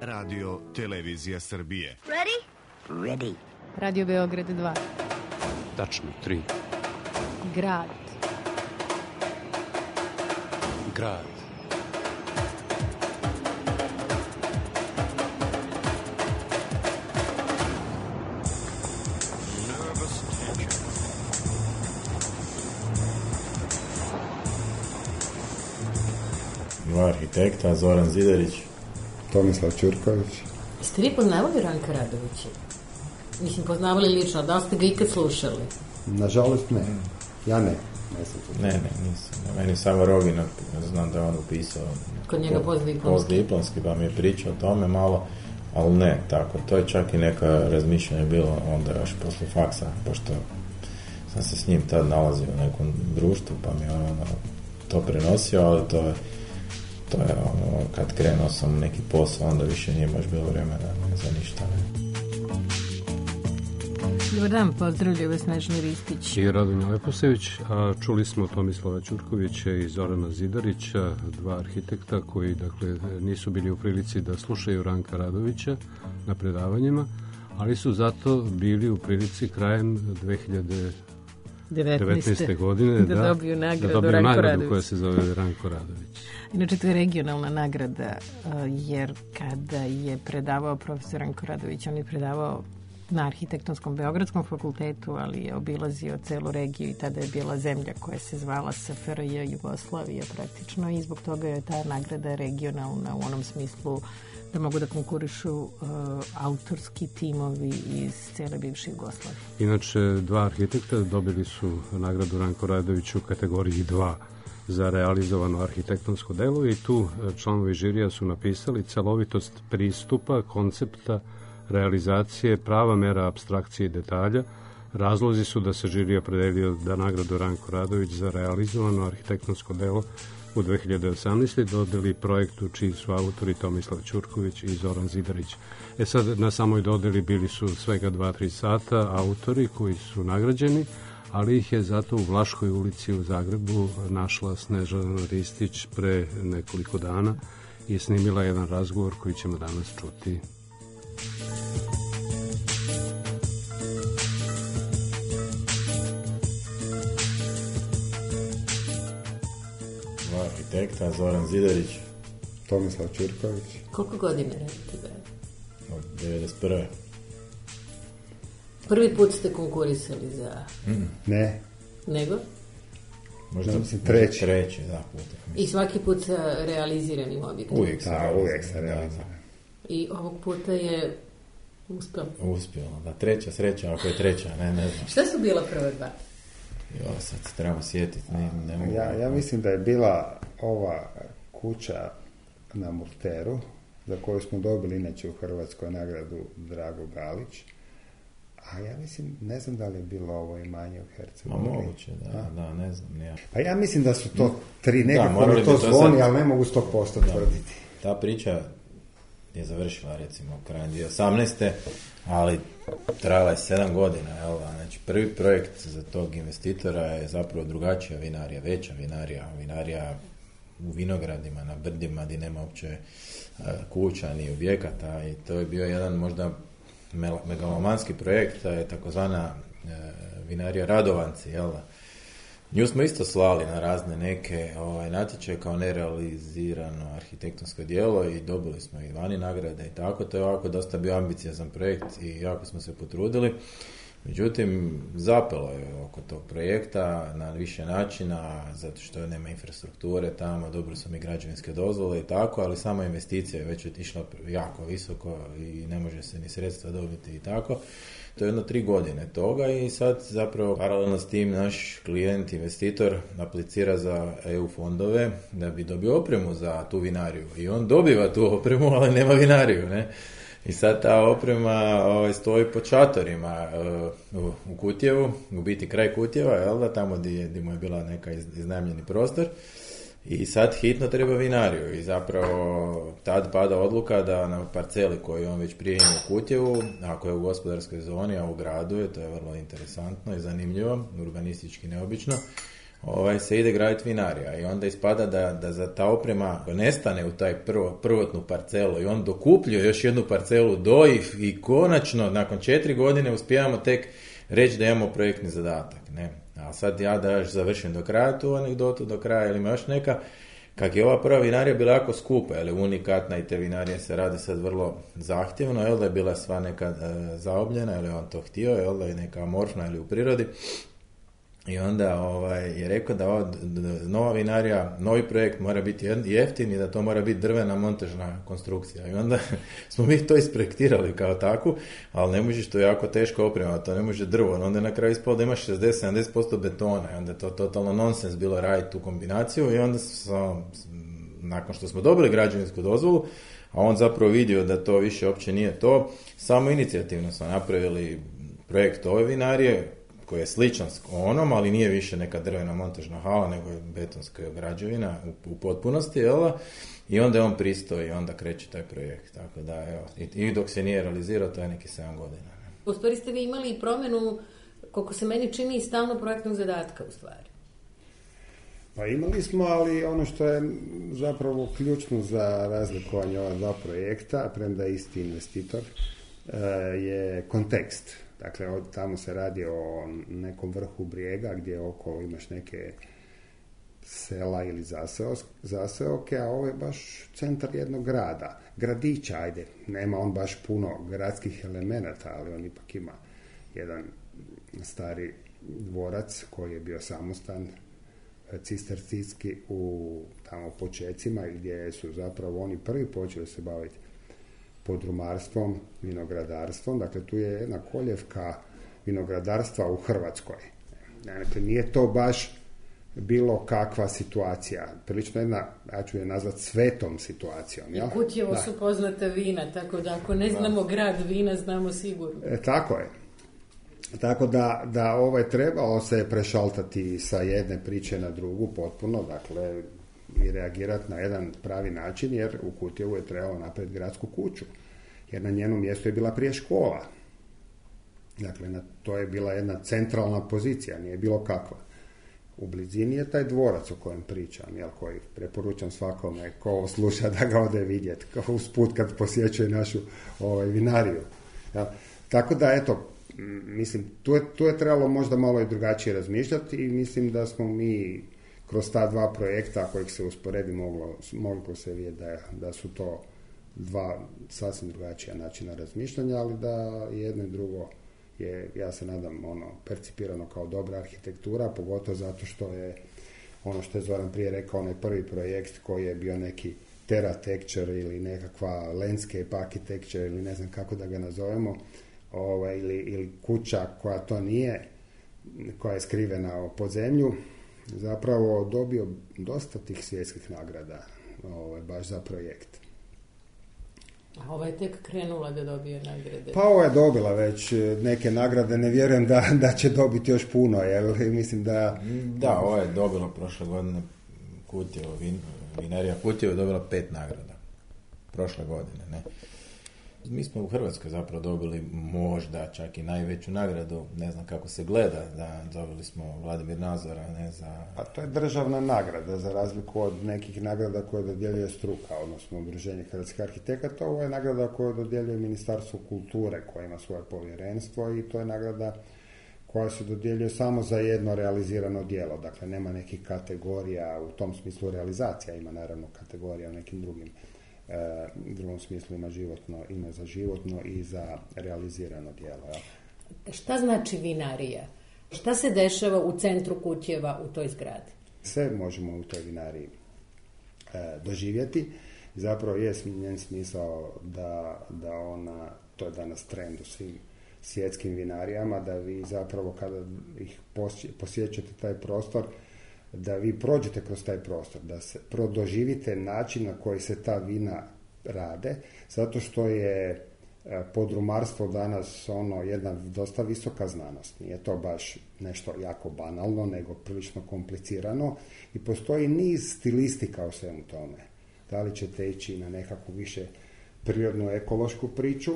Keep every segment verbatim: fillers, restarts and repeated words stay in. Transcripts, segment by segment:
Radio Televizija Srbije. Ready? Ready. Radio Beograd dva. Tačno, tri. Grad. Grad. Dva arhitekta, Zoran Zidarić, Tomislav Ćurković. Jeste vi poznavali Ranka Radovića? Mislim, poznavali lično, da li ste ga ikad slušali? Nažalost ne. Ja ne. Ne, ne, nisam. Meni samo Rogina, znam da je on upisao. Kod njega postdiplomski. Postdiplomski, pa mi je pričao o tome malo, ali ne, tako. To je čak i neka razmišljanja bilo onda još posle faksa, pošto sam se s njim tad nalazio u nekom društvu, pa mi je on ono, to prenosio, ali to je to je ono, kad krenuo sam neki posao, onda više nije baš bilo vremena ne, za ništa. Ne. Dobar dan, pozdravljaju vas Snežni Ristić i Radonja Leposević, a čuli smo Tomislava Ćurkovića i Zorana Zidarića, dva arhitekta koji dakle nisu bili u prilici da slušaju Ranka Radovića na predavanjima, ali su zato bili u prilici krajem dve hiljade devetnaeste. godine da, da dobiju nagradu, da dobiju Ranko nagradu Radović. koja se zove Ranko Radović. Inače, to je regionalna nagrada, jer kada je predavao profesor Ranko Radović, on je predavao na Arhitektonskom Beogradskom fakultetu, ali je obilazio celu regiju i tada je bila zemlja koja se zvala S F R J Jugoslavija praktično i zbog toga je ta nagrada regionalna u onom smislu da mogu da konkurišu uh, autorski timovi iz cele bivše Jugoslavije. Inače, dva arhitekta dobili su nagradu Ranko Radović u kategoriji dva za realizovano arhitektonsko delo i tu članovi žirija su napisali celovitost pristupa, koncepta, realizacije, prava mera apstrakcije i detalja. Razlozi su da se žirija opredelio da nagradu Ranko Radović za realizovano arhitektonsko delo u dve hiljade osamnaestoj. dodeli projektu čiji su autori Tomislav Ćurković i Zoran Zidarić. E sad, na samoj dodeli bili su svega dva do tri sata autori koji su nagrađeni, ali ih je zato u Vlaškoj ulici u Zagrebu našla Snežana Ristić pre nekoliko dana i snimila jedan razgovor koji ćemo danas čuti. Dva arhitekta, Zoran Zidarić, Tomislav Ćurković. Koliko godine radite, bre? od devedeset prve. Prvi put ste konkurisali za... Mm. Ne. Nego? Možda, no, mislim, treći. Treći, da, puta. I svaki put sa realiziranim objektom. Uvijek sa da, uvijek sa realiziranim. I ovog puta je uspio. Uspio, da, treća sreća, ako je treća, ne, ne znam. Šta su bila prva dva? Jo, sad se trebamo sjetiti. Ne, ne mogu. Ja, ja mislim da je bila ova kuća na Murteru, za koju smo dobili inače u Hrvatskoj nagradu Drago Galić. A ja mislim, ne znam da li je bilo ovo imanje u Hercegovini. Ma moguće, da, A? da, ne znam. Ja. Pa ja mislim da su to tri, nekako da, mi to zvoni, sad... ali ne mogu sto posto tvrditi. Ta priča je završila recimo krajem dvije tisuće osamnaeste. ali trajala je sedam godina. Jel? Znači, prvi projekt za tog investitora je zapravo drugačija vinarija, veća vinarija, vinarija u vinogradima, na brdima gdje nema uopće uh, kuća ni objekata i to je bio jedan možda megalomanski projekt, je takozvana uh, vinarija Radovanci, jel? Nju smo isto slali na razne neke ovaj, natječaje kao nerealizirano arhitektonsko djelo i dobili smo i vani nagrade i tako. To je ovako dosta bio ambiciozan projekt i jako smo se potrudili. Međutim, zapelo je oko tog projekta na više načina, zato što nema infrastrukture tamo, dobro su mi građevinske dozvole i tako, ali sama investicija je već otišla jako visoko i ne može se ni sredstva dobiti i tako. To je jedno tri godine toga i sad zapravo paralelno s tim naš klijent, investitor aplicira za E U fondove da bi dobio opremu za tu vinariju i on dobiva tu opremu, ali nema vinariju, ne? I sad ta oprema ovaj, stoji pod šatorima uh, u, u Kutjevu, u biti kraj Kutjeva, jel da, tamo gdje, gdje mu je bila neka iz, iznajmljeni prostor. I sad hitno treba vinariju i zapravo tad pada odluka da na parceli koju on već prije ima u Kutjevu, ako je u gospodarskoj zoni, a u gradu je, to je vrlo interesantno i zanimljivo, urbanistički neobično, ovaj, se ide graditi vinarija i onda ispada da, da za ta oprema nestane u taj prvo, prvotnu parcelu i on dokupljuje još jednu parcelu do i, i konačno nakon četiri godine uspijamo tek reći da imamo projektni zadatak. Ne? A sad ja da još završim do kraja tu anegdotu, do kraja ili ima još neka, kak je ova prva vinarija bila jako skupa, jer je unikatna i te vinarije se radi sad vrlo zahtjevno, jel da je bila sva neka e, zaobljena, ili on to htio, jel da je neka amorfna ili u prirodi. I onda ovaj, je rekao da ova nova vinarija, novi projekt mora biti jeftin i da to mora biti drvena montažna konstrukcija. I onda smo mi to isprojektirali kao takvu, ali ne možeš, to jako teško oprema, to ne može drvo. Onda je na kraju ispalo da imaš šezdeset do sedamdeset posto betona i onda je to totalno nonsens bilo raditi tu kombinaciju i onda sam, nakon što smo dobili građevinsku dozvolu, a on zapravo vidio da to više uopće nije to, samo inicijativno smo napravili projekt ove vinarije, koji je sličan onom, ali nije više neka drvena montažna hala, nego je betonska građevina u, u potpunosti, jel? I onda je on pristao i onda kreće taj projekt. Tako da, evo, i, i dok se nije realizirao, to je neki sedam godina. Ne? U stvari ste vi imali i promjenu, koliko se meni čini, i stalno projektnog zadatka, u stvari. Pa imali smo, ali ono što je zapravo ključno za razlikovanje ova dva projekta, premda je isti investitor, je kontekst. Dakle, tamo se radi o nekom vrhu brijega gdje okolo imaš neke sela ili zaseoke, a ovo je baš centar jednog grada. Gradića, ajde, nema on baš puno gradskih elemenata, ali on ipak ima jedan stari dvorac koji je bio samostan cistercijski u tamo počecima gdje su zapravo oni prvi počeli se baviti podrumarstvom, vinogradarstvom, dakle tu je jedna koljevka vinogradarstva u Hrvatskoj. Dakle, nije to baš bilo kakva situacija. Prilično jedna, ja ću je nazvati svetom situacijom. I Kutjevo su poznata vina, tako da ako ne znamo da. grad vina, znamo sigurno. E, tako je. Tako da, da ovaj trebalo se prešaltati sa jedne priče na drugu potpuno, dakle, i reagirati na jedan pravi način, jer u Kutjevu je trebalo napraviti gradsku kuću, jer na njenom mjestu je bila prije škola. Dakle, na, to je bila jedna centralna pozicija, nije bilo kakva. U blizini je taj dvorac o kojem pričam, jel, koji preporučam svakome ko sluša da ga ode vidjeti, kao usput kad posjećuje našu ovaj, vinariju. Ja, tako da, eto, mislim, tu je, tu je trebalo možda malo i drugačije razmišljati i mislim da smo mi kroz ta dva projekta kojih se usporedi moglo, moglo se vidjeti da, da su to dva sasvim drugačija načina razmišljanja, ali da jedno i drugo je, ja se nadam, ono, percipirano kao dobra arhitektura, pogotovo zato što je ono što je Zoran prije rekao, onaj prvi projekt koji je bio neki terratecture ili nekakva landscape architecture ili ne znam kako da ga nazovemo, ovaj, ili, ili kuća koja to nije, koja je skrivena pod zemlju, zapravo dobio dosta tih svjetskih nagrada ovaj, baš za projekt. A ova je tek krenula da dobije nagrade. Pa ova je dobila već neke nagrade, ne vjerujem da, da će dobiti još puno, jer mislim da... Da, ova je dobila prošle godine Kutjevo, vin, vinarija Kutjevo je dobila pet nagrada. Prošle godine, ne. Mi smo u Hrvatskoj zapravo dobili možda čak i najveću nagradu, ne znam kako se gleda, da dobili smo Vladimir Nazora, ne za... Pa to je državna nagrada, za razliku od nekih nagrada koje dodjeljuje struka, odnosno Udruženje hrvatskih arhitekata. Ovo je nagrada koju dodjeljuje Ministarstvo kulture, koje ima svoje povjerenstvo, i to je nagrada koja se dodjeljuje samo za jedno realizirano djelo. Dakle, nema nekih kategorija, u tom smislu realizacija ima naravno kategorija u nekim drugim u drugom smislu ima životno, ima za životno i za realizirano djelo. Ja. Šta znači vinarija? Šta se dešava u centru Kutjeva u toj zgradi? Sve možemo u toj vinariji e, doživjeti. Zapravo je njen smisao da, da ona, to je danas trend u svim svjetskim vinarijama, da vi zapravo kada ih posjećate taj prostor, da vi prođete kroz taj prostor, da se prodoživite način na koji se ta vina rade, zato što je podrumarstvo danas ono jedna dosta visoka znanost. Nije to baš nešto jako banalno, nego prilično komplicirano i postoji niz stilistika u svemu tome. Da li ćete ići na nekakvu više prirodnu ekološku priču,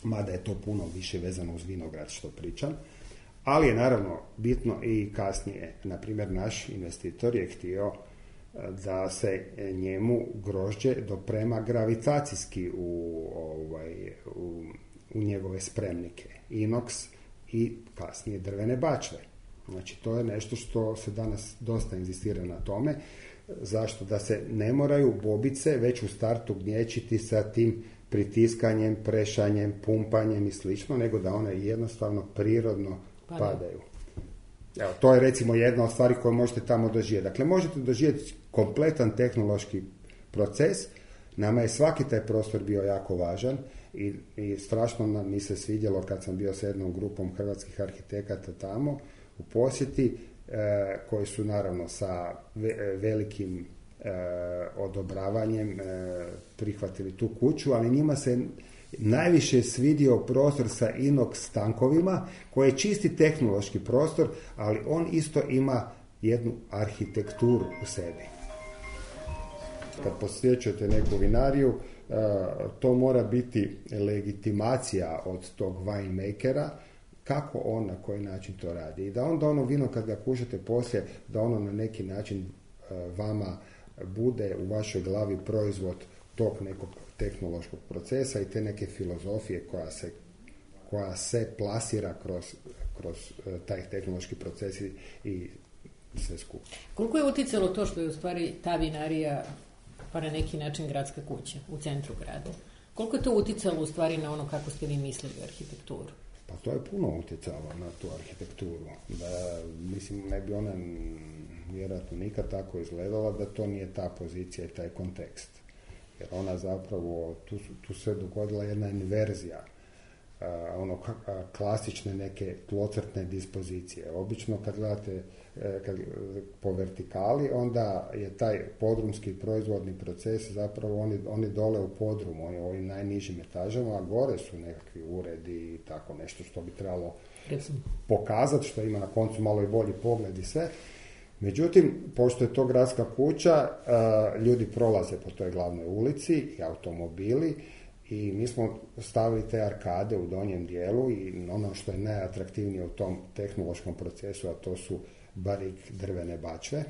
mada je to puno više vezano uz vinograd što pričam, Ali je naravno bitno i kasnije. Naprimjer, naš investitor je htio da se njemu grožđe doprema gravitacijski u, ovaj, u, u njegove spremnike. Inox i kasnije drvene bačve. Znači, to je nešto što se danas dosta inzistira na tome. Zašto? Da se ne moraju bobice već u startu gnječiti sa tim pritiskanjem, prešanjem, pumpanjem i slično, nego da one jednostavno prirodno padaju. padaju. Evo, to je recimo jedna od stvari koje možete tamo doživjeti. Dakle, možete doživjeti kompletan tehnološki proces. Nama je svaki taj prostor bio jako važan i, i strašno nam mi se svidjelo kad sam bio s jednom grupom hrvatskih arhitekata tamo u posjeti, e, koji su naravno sa ve, velikim e, odobravanjem e, prihvatili tu kuću, ali njima se najviše svidio prostor sa inox tankovima, koji je čisti tehnološki prostor, ali on isto ima jednu arhitekturu u sebi. Kad posjećujete neku vinariju, to mora biti legitimacija od tog winemakera, kako on, na koji način to radi. I da onda ono vino, kad ga kušate poslije, da ono na neki način vama bude u vašoj glavi proizvod tog nekog tehnološkog procesa i te neke filozofije koja se, koja se plasira kroz, kroz taj tehnološki proces i, i sve skupa. Koliko je uticalo to što je u stvari ta vinarija pa na neki način gradska kuća u centru grada? Koliko je to uticalo u stvari na ono kako ste vi mislili arhitekturu? Pa to je puno utjecalo na tu arhitekturu. Da, mislim, ne bi ona vjerojatno nikad tako izgledala da to nije ta pozicija i taj kontekst. Jer ona zapravo, tu, tu se dogodila jedna inverzija, uh, ono a, klasične neke tlocrtne dispozicije. Obično kad gledate kad, po vertikali, onda je taj podrumski proizvodni proces zapravo oni, oni dole u podrumu, oni u ovim najnižim etažama, a gore su nekakvi uredi i tako nešto što bi trebalo pokazati, što ima na koncu malo i bolji pogled i sve. Međutim, pošto je to gradska kuća, ljudi prolaze po toj glavnoj ulici i automobili i mi smo stavili te arkade u donjem dijelu i ono što je najatraktivnije u tom tehnološkom procesu, a to su barik drvene bačve,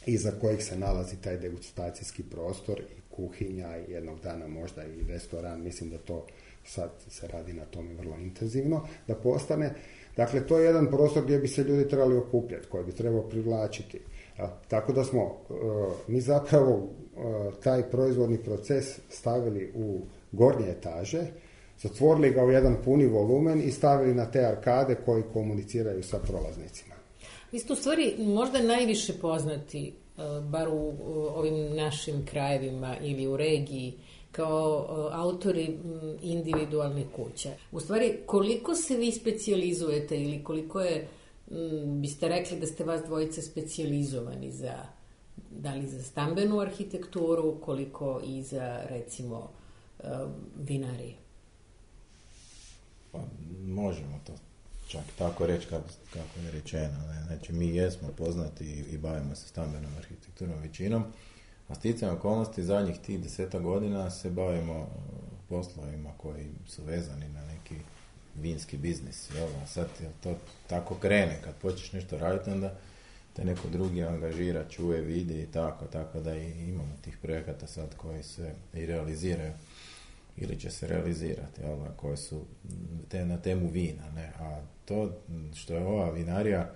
iza kojih se nalazi taj degustacijski prostor i kuhinja i jednog dana možda i restoran. Mislim da to sad se radi na tome vrlo intenzivno, da postane. Dakle, to je jedan prostor gdje bi se ljudi trebali okupljati, koji bi trebao privlačiti. Ja, tako da smo uh, mi zapravo uh, taj proizvodni proces stavili u gornje etaže, zatvorili ga u jedan puni volumen i stavili na te arkade koji komuniciraju sa prolaznicima. Vi ste u stvari možda najviše poznati, uh, bar u uh, ovim našim krajevima ili u regiji, kao autori individualnih kuća. U stvari, koliko se vi specijalizujete ili koliko je, m, biste rekli da ste vas dvojice specijalizovani za, da li za stambenu arhitekturu, koliko i za, recimo, vinarije? Pa, možemo to čak tako reći kako, kako je rečeno. Ne? Znači, mi jesmo poznati i, i bavimo se stambenom arhitekturom većinom, a sticajem okolnosti zadnjih tih deseta godina se bavimo poslovima koji su vezani na neki vinski biznis. Jel? A sad jel to tako krene, kad počneš nešto raditi, onda te neko drugi angažira, čuje, vidi i tako, tako da i imamo tih projekata sad koji se i realiziraju ili će se realizirati, jel? Koji su te, na temu vina. Ne? A to što je ova vinarija,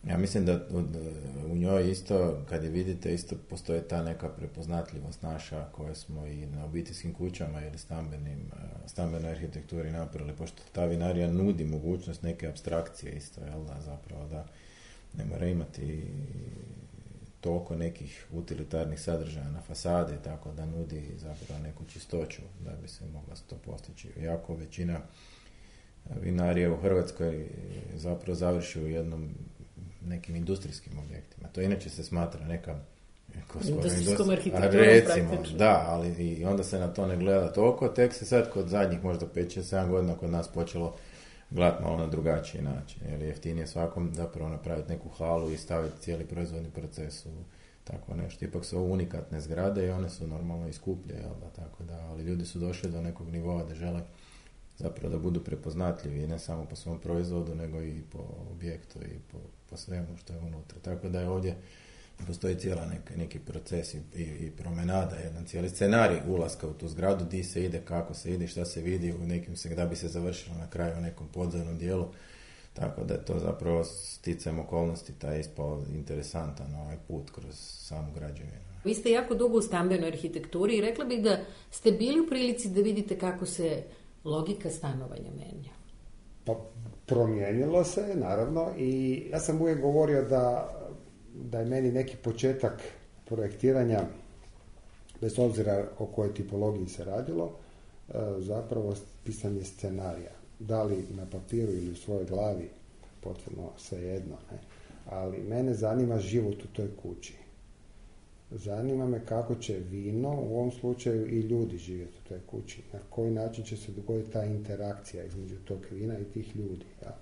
ja mislim da u njoj isto, kad je vidite, isto postoje ta neka prepoznatljivost naša koje smo i na obiteljskim kućama ili stambenim, stambenoj arhitekturi napravili, pošto ta vinarija nudi mogućnost neke apstrakcije isto, jel da, zapravo da ne mora imati toliko nekih utilitarnih sadržaja na fasade, tako da nudi zapravo neku čistoću da bi se mogla to postići. Jako većina vinarija u Hrvatskoj zapravo završi u jednom nekim industrijskim objektima. To inače se smatra neka industrijskom arhitekturom praktično. Da, ali i onda se na to ne gleda toliko, tek se sad kod zadnjih možda pet šest sedam godina kod nas počelo gledati malo na drugačiji način, jer je jeftinije svakom zapravo napraviti neku halu i staviti cijeli proizvodni proces u tako nešto. Ipak su ovo unikatne zgrade i one su normalno i skuplje, jel da, tako da, ali ljudi su došli do nekog nivoa da žele zapravo da budu prepoznatljivi ne samo po svom proizvodu, nego i po objektu i po, po svemu što je unutra. Tako da je ovdje postoji cijela nek, neki proces i, i, i promenada, jedan cijeli scenarij ulaska u tu zgradu, di se ide, kako se ide, šta se vidi, u nekim se, da bi se završilo na kraju u nekom podzemnom dijelu. Tako da je to zapravo sticajem okolnosti, taj ispao interesantan ovaj put kroz samu građevinu. Vi ste jako dugo u stambenoj arhitekturi i rekla bih da ste bili u prilici da vidite kako se logika stanovanja menja. Pa promijenilo se, naravno, i ja sam uvijek govorio da, da je meni neki početak projektiranja, bez obzira o kojoj tipologiji se radilo, zapravo pisanje scenarija. Da li na papiru ili u svojoj glavi, potpuno svejedno, ne? Ali mene zanima život u toj kući. Zanima me kako će vino, u ovom slučaju i ljudi živjeti u toj kući. Na koji način će se dogoditi ta interakcija između tog vina i tih ljudi. Ja.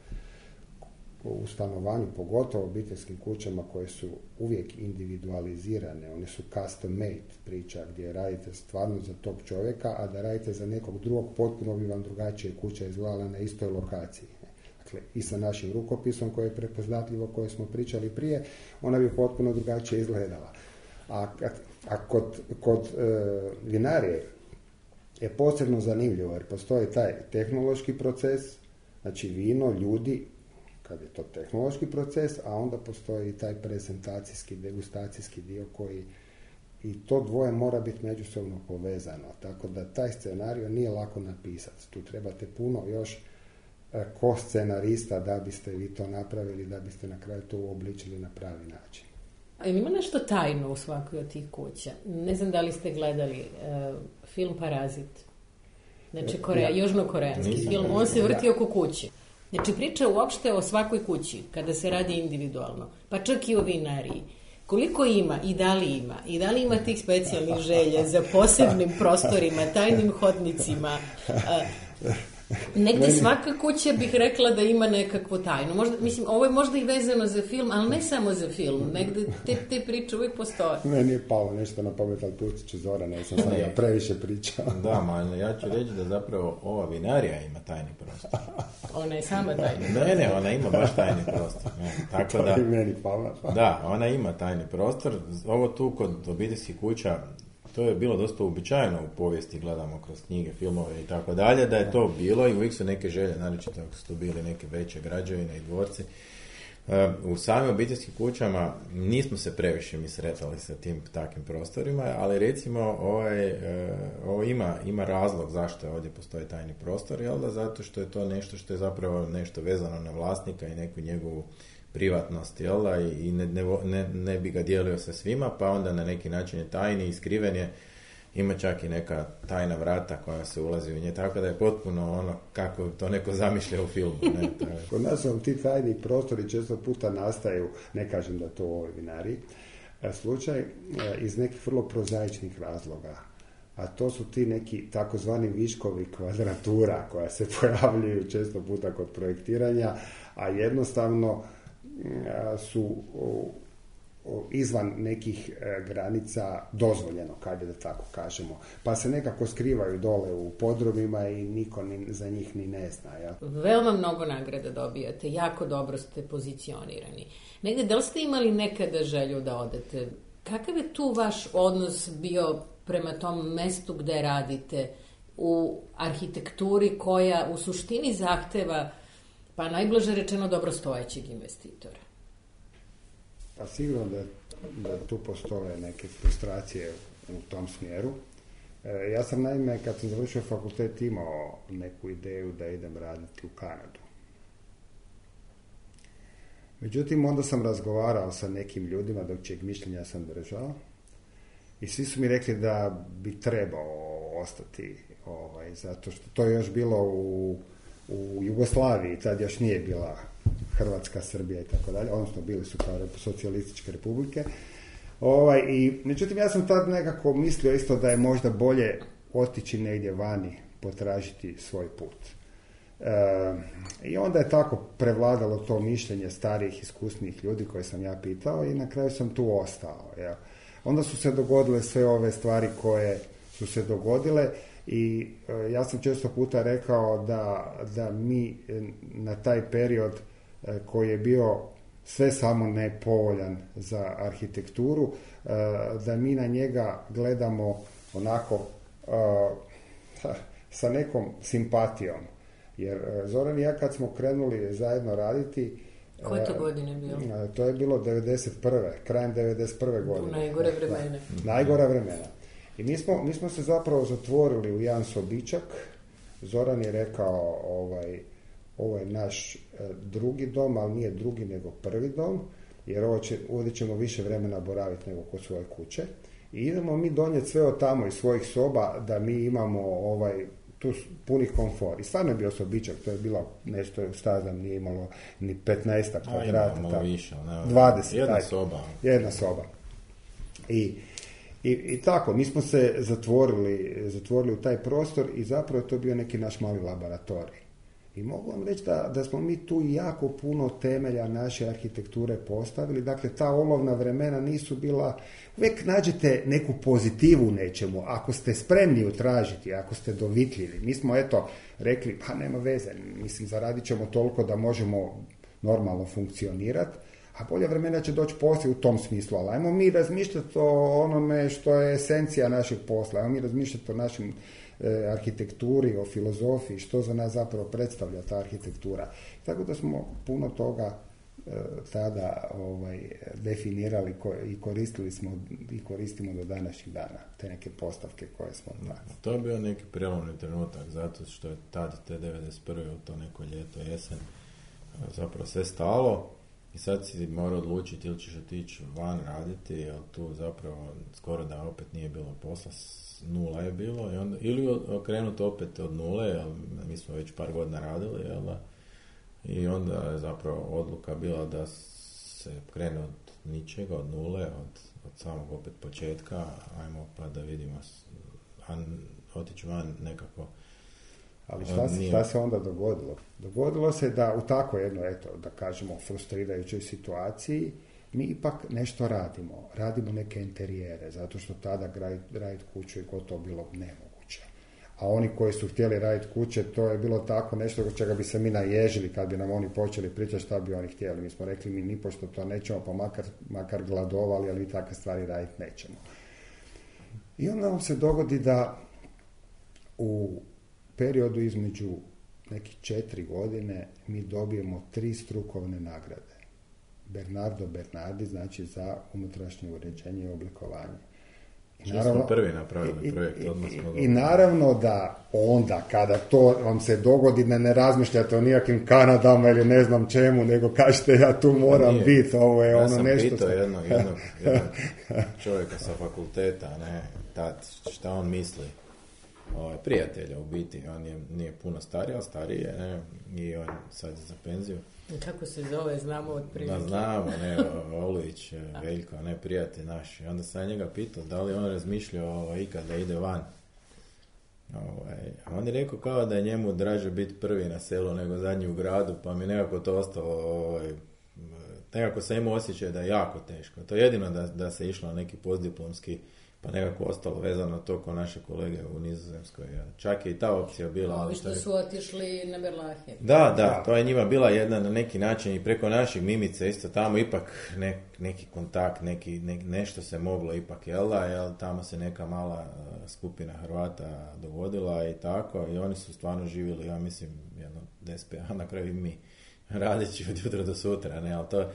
U stanovanju, pogotovo obiteljskim kućama koje su uvijek individualizirane, one su custom made priča gdje radite stvarno za tog čovjeka, a da radite za nekog drugog, potpuno bi vam drugačije kuća izgledala na istoj lokaciji. Dakle, i sa našim rukopisom koje je prepoznatljivo, koje smo pričali prije, ona bi potpuno drugačije izgledala. A, a kod, kod e, vinarije je posebno zanimljivo jer postoji taj tehnološki proces, znači vino, ljudi, kad je to tehnološki proces, a onda postoji i taj prezentacijski, degustacijski dio koji i to dvoje mora biti međusobno povezano. Tako da taj scenarij nije lako napisati. Tu trebate puno još e, ko scenarista da biste vi to napravili, da biste na kraju to uobličili na pravi način. A ima nešto tajno u svakoj od tih kuća? Ne znam da li ste gledali uh, film Parazit. Znači, Korea, ja. južnokoreanski film. On se vrti oko kuće. Znači, priča uopšte o svakoj kući, kada se radi individualno. Pa čak i o vinariji. Koliko ima i da li ima? I da li ima tih specijalnih želja za posebnim prostorima, tajnim hodnicima? Uh, Negdje Meni... svaka kuća bih rekla da ima nekakvu tajnu. Možda, mislim, ovo je možda i vezano za film, ali ne samo za film. Negdje te, te priče uvijek postoje. Meni je palo nešto na pamet, ali pustit ću Zora, ne sam sad ja previše pričao. Da, ma ja ću reći da zapravo ova vinarija ima tajni prostor. Ona je sama tajni prostor. Ne, ne, ona ima baš tajni prostor. Ne, tako to da, je meni palo. Da, ona ima tajni prostor. Ovo tu kod obiteljskih kuća, to je bilo dosta uobičajeno u povijesti, gledamo kroz knjige, filmove i tako dalje, da je to bilo i uvijek su neke želje, naročito ako su to bili neke veće građevine i dvorci. U samim obiteljskim kućama nismo se previše mi sretali sa tim takvim prostorima, ali recimo ovaj, ovo ima, ima razlog zašto je ovdje postoji tajni prostor, jel da? Zato što je to nešto što je zapravo nešto vezano na vlasnika i neku njegovu privatnost, jel da, i ne, ne, ne bi ga dijelio sa svima, pa onda na neki način je tajni i skriven je, ima čak i neka tajna vrata koja se ulazi u nje, tako da je potpuno ono kako to neko zamišlja u filmu. Ne, je... Kod nas vam ti tajni prostori često puta nastaju, ne kažem da to u ovoj vinariji, slučaj iz nekih vrlo prozaičnih razloga, a to su ti neki takozvani viškovi kvadratura koja se pojavljuju često puta kod projektiranja, a jednostavno su izvan nekih granica dozvoljeno, kada da tako kažemo. Pa se nekako skrivaju dole u podrumima i niko ni, za njih ni ne zna. Ja? Veoma mnogo nagrada dobijate, jako dobro ste pozicionirani. Negde, da li ste imali nekada želju da odete? Kakav je tu vaš odnos bio prema tom mestu gde radite u arhitектuri koja u suštini zahteva, pa najblaže rečeno, dobrostojećeg investitora? Pa sigurno da, da tu postoje neke frustracije u tom smjeru. E, ja sam naime, kad sam završio fakultet, imao neku ideju da idem raditi u Kanadu. Međutim, onda sam razgovarao sa nekim ljudima, dok čijeg mišljenja sam držao, i svi su mi rekli da bi trebao ostati, ovaj, zato što to je još bilo u, u Jugoslaviji, tad još nije bila Hrvatska, Srbija i tako dalje, odnosno bili su kao socijalističke republike. Ovaj, i, međutim, ja sam tad nekako mislio isto da je možda bolje otići negdje vani, potražiti svoj put. E, I onda je tako prevladalo to mišljenje starijih, iskusnijih ljudi koje sam ja pitao i na kraju sam tu ostao. Ja. Onda su se dogodile sve ove stvari koje su se dogodile I e, ja sam često puta rekao da, da mi na taj period e, koji je bio sve samo nepovoljan za arhitekturu, e, da mi na njega gledamo onako e, sa nekom simpatijom. Jer e, Zoran i ja kad smo krenuli zajedno raditi, koje to godine bilo? To je bilo devedeset prve krajem devedeset prve godine. U najgore vremena. Da, najgora vremena. I mi smo, mi smo se zapravo zatvorili u jedan sobičak. Zoran je rekao, ovaj, ovo je naš drugi dom, ali nije drugi nego prvi dom, jer ovo će, ovdje ćemo više vremena boraviti nego kod svoje kuće. I idemo mi donijeti sve od tamo iz svojih soba da mi imamo ovaj, tu puni komfor. I stvarno je bio sobičak, to je bilo nešto, stazam, nije imalo ni petnaest kvadrata. A, malo više, ne, dvadeset. Jedna taj, soba. Jedna soba. I, i, i tako, mi smo se zatvorili, zatvorili u taj prostor i zapravo je to bio neki naš mali laboratorij. I mogu vam reći da, da smo mi tu jako puno temelja naše arhitekture postavili. Dakle, ta olovna vremena nisu bila... Uvijek nađete neku pozitivu u nečemu. Ako ste spremni utražiti, ako ste dovitljivi. Mi smo, eto, rekli, pa nema veze. Mislim, zaradit ćemo toliko da možemo normalno funkcionirati. A bolja vremena će doći poslije u tom smislu. Ali ajmo mi razmišljati o onome što je esencija našeg posla. Ajmo mi razmišljati o našim arhitekturi, o filozofiji, što za nas zapravo predstavlja ta arhitektura. Tako da smo puno toga e, tada ovaj, definirali ko, i koristili smo i koristimo do današnjih dana, te neke postavke koje smo imali. To je bio neki prelomni trenutak, zato što je tad te devedeset prve u to neko ljeto, jesen, zapravo sve stalo i sad si morao odlučiti ili ćeš otići van raditi, jer tu zapravo skoro da opet nije bilo posla, nula je bilo, i onda, ili okrenuti opet od nule, jer mi smo već par godina radili, jel da? I onda je zapravo odluka bila da se krene od ničega, od nule, od, od samog opet početka, ajmo pa da vidimo, a otići van nekako. Ali šta se, šta se onda dogodilo? Dogodilo se da u tako jedno, eto, da kažemo, frustrirajućoj situaciji, mi ipak nešto radimo. Radimo neke interijere, zato što tada raditi kuću je gotovo bilo nemoguće. A oni koji su htjeli raditi kuće, to je bilo tako nešto od čega bi se mi naježili kad bi nam oni počeli pričati šta bi oni htjeli. Mi smo rekli, mi nipošto to nećemo, pa makar, makar gladovali, ali takve stvari raditi nećemo. I onda nam se dogodi da u periodu između nekih četiri godine mi dobijemo tri strukovne nagrade. Bernardo Bernardi, znači za unutrašnje uređenje i oblikovanje. I naravno, smo prvi napravili projekt, odmah smo I, i naravno da onda, kada to vam se dogodi, da ne razmišljate o nijakim Kanadama ili ne znam čemu, nego kažete ja tu moram biti, ovo je ja ono nešto... Ja sam pitao jednog, jednog, jednog čovjeka sa fakulteta, ne, tad, šta on misli. O, prijatelja u biti, on je, nije puno stariji, ali stariji je, ne, i on sad za penziju. Kako se zove, znamo od prilike. Da, znamo, ne, Olujić, Veljko, ne, prijatelj naš. I onda sam njega pitao da li on razmišljao ovo, ikad da ide van. Ovaj, a on je rekao kao da je njemu draže biti prvi na selu nego zadnji u gradu, pa mi nekako to ostalo, ovaj, nekako sam imao osjećaj da je jako teško. To je jedino da, da se išlo na neki postdiplomski, pa nekako ostalo vezano to ko naše kolege u Nizozemskoj. Čak je i ta opcija bila. Ovi što su otišli na Berlahe. Da, da, to je njima bila jedna na neki način i preko naših Mimice isto tamo ipak ne, neki kontakt, neki, ne, nešto se moglo ipak, jel da, jel, tamo se neka mala skupina Hrvata dogodila i tako, i oni su stvarno živjeli, ja mislim, jedno deset, a na kraju i mi, radići od jutra do sutra, ne, ali to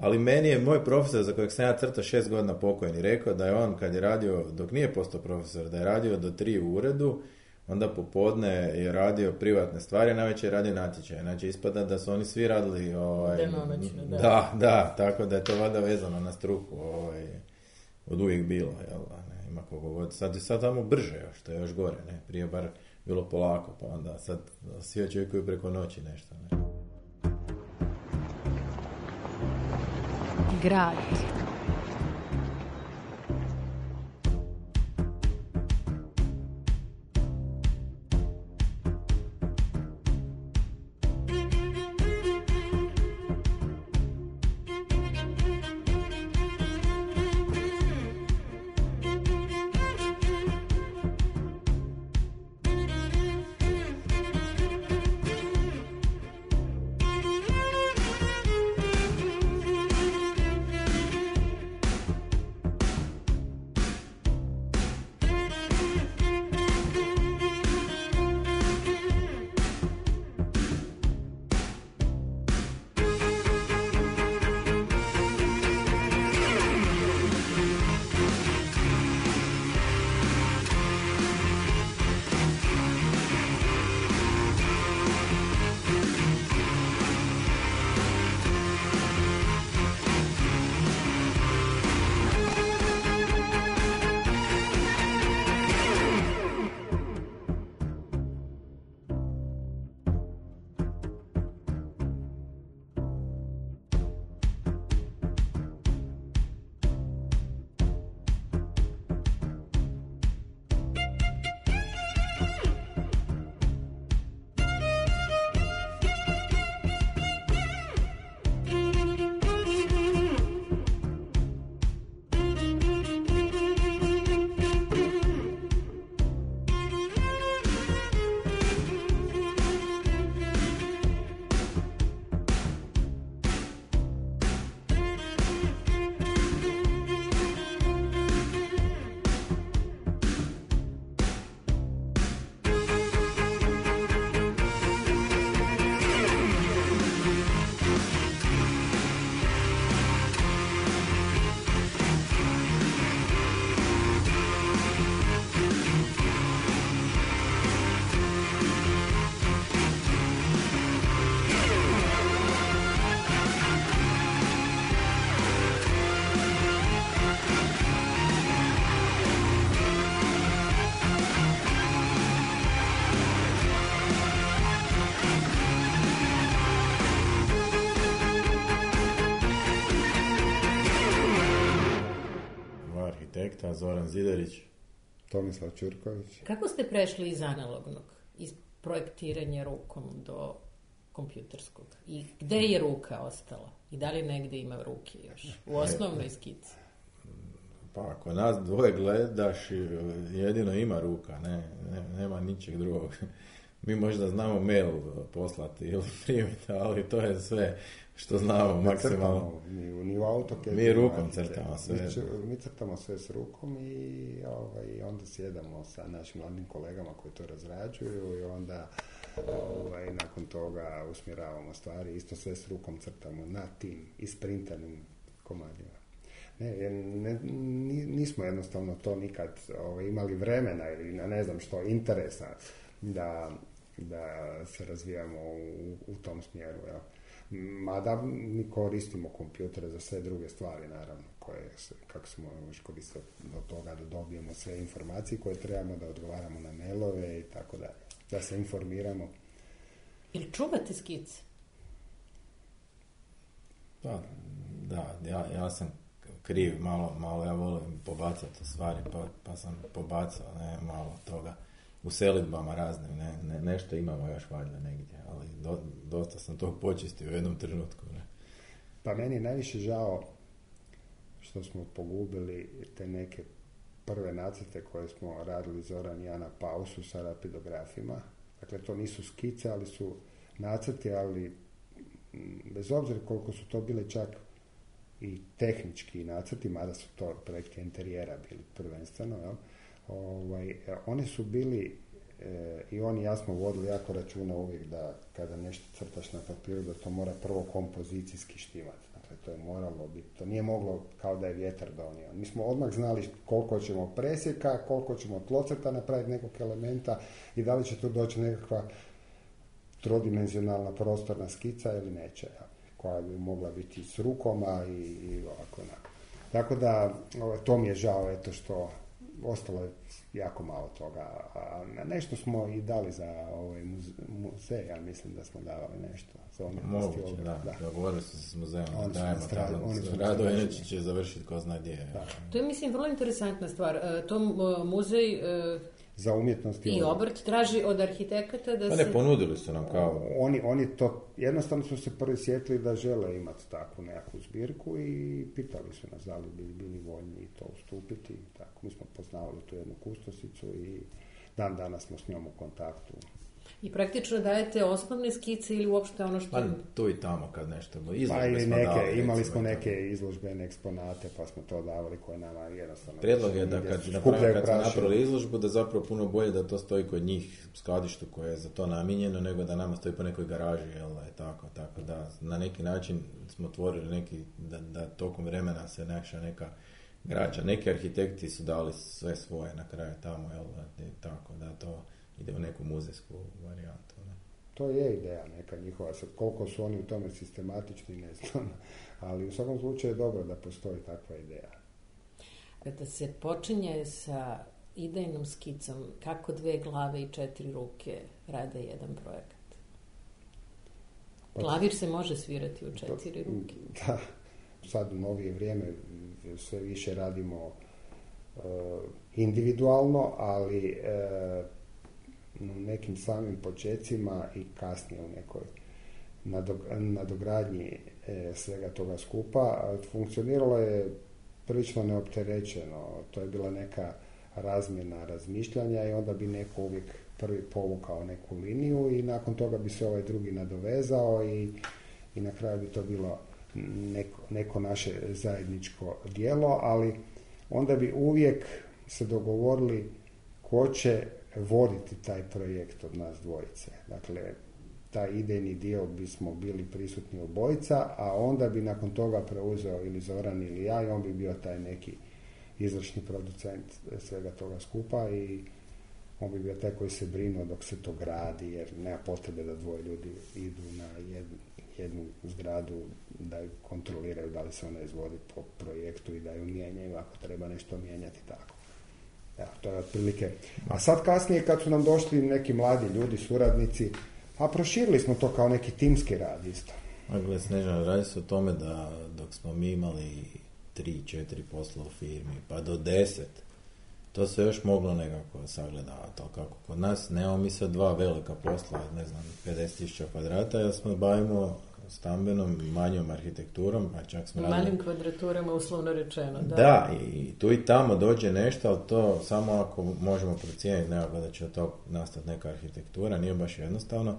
Ali meni je moj profesor, za kojeg sam ja crtao šest godina pokojni, rekao da je on, kad je radio, dok nije postao profesor, da je radio do tri u uredu, onda popodne je radio privatne stvari, a navečer je radio natječaje. Znači, ispada da su oni svi radili... Ovaj, danonoćno, da. Da, da, tako da je to vada vezano na struku. Ovaj, od uvijek bilo, jel da, ne, ima kogo god. Sad je sad tamo brže još, što je još gore, ne, prije bar bilo polako, pa onda sad svi očekuju preko noći nešto, ne. Grad. Ja Zoran Zidarić. Tomislav Ćurković. Kako ste prešli iz analognog, iz projektiranja rukom do kompjuterskog? I gde je ruka ostala? I da li negde ima ruke još? U osnovnoj skici? Pa ako nas dvoje gledaš, jedino ima ruka, ne, ne, nema ničeg drugog. Mi možda znamo mail poslati ili primiti, ali to je sve što znamo maksimalno. Ni, ni u AutoCAD. Mi rukom crtamo sve. Mi, mi crtamo sve s rukom i ovaj, onda sjedamo sa našim mladim kolegama koji to razrađuju i onda ovaj, nakon toga usmjeravamo stvari. Isto sve s rukom crtamo na tim isprintanim komadima. Ne, ne, nismo jednostavno to nikad ovaj, imali vremena ili ne znam što, interesa da, da se razvijamo u, u tom smjeru. Ja. Mada mi koristimo kompjutere za sve druge stvari, naravno, koje se, kako smo još koristili do toga da dobijemo sve informacije koje trebamo, da odgovaramo na mailove i tako dalje, da se informiramo. Ili čuvate skice? Da, da ja, ja sam kriv, malo, malo ja volim pobacati stvari, pa, pa sam pobacao ne, malo toga. U selidbama raznim, ne, ne, nešto imamo još valjda negdje, ali do, dosta sam to počistio u jednom trenutku. Ne. Pa meni je najviše žao što smo pogubili te neke prve nacrte koje smo radili Zoran i ja na pausu sa rapidografima. Dakle, to nisu skice, ali su nacrti, ali bez obzira koliko su to bile čak i tehnički nacrti, mada su to projekti interijera bili prvenstveno, jel? Ovaj, oni su bili e, i oni jasno vodili jako računa uvijek da kada nešto crtaš na papiru da to mora prvo kompozicijski štimati. Dakle, to je moralo biti, to nije moglo kao da je vjetar donio. Mi smo odmah znali koliko ćemo presjeka, koliko ćemo tlocrta napraviti nekog elementa i da li će tu doći nekakva trodimenzionalna prostorna skica ili neće, ja, koja bi mogla biti s rukoma i, i ovako onako. Tako da, to mi je žao, eto što ostalo je jako malo toga, a nešto smo i dali za ovaj muzej, ja mislim da smo davali nešto za umjetnosti. Moguće, da, da. Dogovorili su se s muzejom, Oni da dajemo tamo. Rado inače će završiti ko zna gdje. Da. To je, mislim, vrlo interesantna stvar. To muzej za umjetnost i obrt traži od arhitekata da pa se... ne, ponudili su nam kao... Oni, oni to, jednostavno su se prvi sjetili da žele imati takvu nekakvu zbirku i pitali su nas da li bi bili voljni to ustupiti. Tako, mi smo poznavali tu jednu kustosicu i dan danas smo s njom u kontaktu. I praktično dajete osnovne skice ili uopšte ono što... Pa tu i tamo kad nešto... Pa ili neke, dali, imali smo neke izložbene eksponate pa smo to davali koje nama jednostavno... Prijedlog je da kad, napravim, kad smo napravili izložbu da zapravo puno bolje da to stoji kod njih u skladištu koje je za to namijenjeno nego da nama stoji po nekoj garaži, jel da je tako, tako da na neki način smo otvorili neki, da, da tokom vremena se naša neka građa. Neki arhitekti su dali sve svoje na kraju tamo, jel da je tako, da to ide u neku muzejsku varijantu. Ne? To je ideja neka njihova, sad koliko su oni u tome sistematični ne znam, ali u svakom slučaju je dobro da postoji takva ideja. Kada se počinje sa idejnom skicom, kako dve glave i četiri ruke rade jedan projekat? Klavir se može svirati u četiri ruke. Da, sad u novije vrijeme sve više radimo uh, individualno, ali uh, u nekim samim počecima i kasnije u nekoj nadogradnji e, svega toga skupa. Funkcioniralo je prilično neopterećeno. To je bila neka razmjena razmišljanja i onda bi neko uvijek prvi povukao neku liniju i nakon toga bi se ovaj drugi nadovezao i, i na kraju bi to bilo neko, neko naše zajedničko djelo, ali onda bi uvijek se dogovorili ko će voditi taj projekt od nas dvojice. Dakle, taj idejni dio bismo bili prisutni obojica, a onda bi nakon toga preuzeo ili Zoran ili ja i on bi bio taj neki izvršni producent svega toga skupa i on bi bio taj koji se brinuo dok se to gradi, jer nema potrebe da dvoje ljudi idu na jednu, jednu zgradu da ju kontroliraju da li se ona izvodi po projektu i da ju mijenjaju ako treba nešto mijenjati tako. Ja, to je otprilike. A sad kasnije kad su nam došli neki mladi ljudi, suradnici, a proširili smo to kao neki timski rad isto. Gled, Snežana, radi se o tome da dok smo mi imali tri, četiri posla u firmi, pa do deset. To se još moglo nekako sagledavati, ali kako kod nas nemamo mi sad dva velika posla, ne znam, pedeset tisuća kvadrata, jer smo bavimo stambenom, manjom arhitekturom, a čak smo malim radili... kvadraturama, uslovno rečeno. Da, da i tu i tamo dođe nešto, ali to samo ako možemo procijeniti nekako da će od tog nastati neka arhitektura, nije baš jednostavno.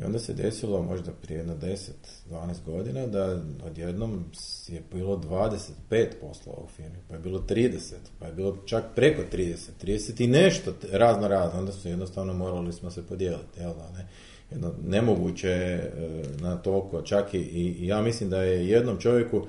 I onda se desilo možda prije jedno deset do dvanaest godina da odjednom je bilo dvadeset pet poslova u firmi, pa je bilo trideset, pa je bilo čak preko trideset, trideset i nešto razno razno, onda su jednostavno morali smo se podijeliti, jel da ne? Jedno, nemoguće je na toliko, čak i, i ja mislim da je jednom čovjeku